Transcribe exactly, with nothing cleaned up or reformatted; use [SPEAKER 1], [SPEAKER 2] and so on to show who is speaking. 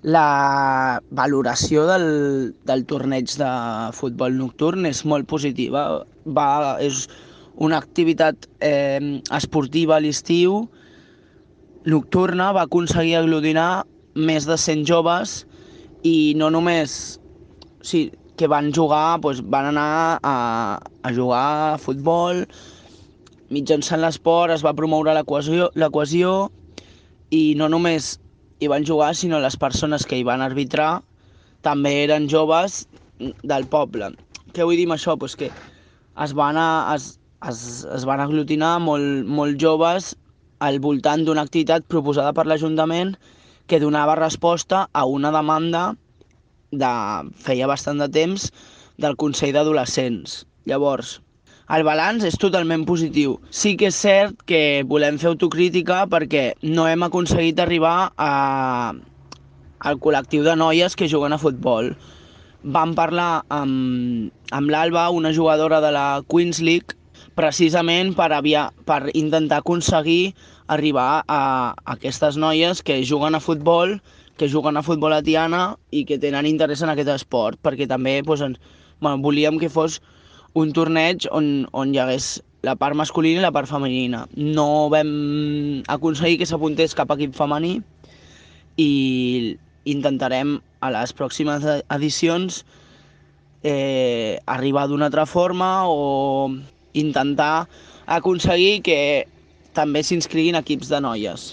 [SPEAKER 1] La valoració del, del torneig de futbol nocturn és molt positiva. Va, és una activitat eh, esportiva a l'estiu nocturna, va aconseguir aglutinar més de cent joves i no només sí, que van jugar, doncs van anar a, a jugar a futbol, mitjançant l'esport es va promoure la cohesió, la cohesió i no només hi van jugar, sinó les persones que hi van arbitrar també eren joves del poble. Què vull dir amb això? Pues que es van, a, es, es, es van aglutinar molt, molt joves al voltant d'una activitat proposada per l'Ajuntament que donava resposta a una demanda de feia bastant de temps del Consell d'Adolescents. Llavors, el balanç és totalment positiu. Sí que és cert que volem fer autocrítica perquè no hem aconseguit arribar a, al col·lectiu de noies que juguen a futbol. Vam parlar amb, amb l'Alba, una jugadora de la Queens League, precisament per, avia, per intentar aconseguir arribar a, a aquestes noies que juguen a futbol, que juguen a futbol a Tiana i que tenen interès en aquest esport, perquè també doncs, ens, bueno, volíem que fos un torneig on, on hi hagués la part masculina i la part femenina. No vam aconseguir que s'apuntés cap equip femení i intentarem a les pròximes edicions eh, arribar d'una altra forma o intentar aconseguir que també s'inscriguin equips de noies.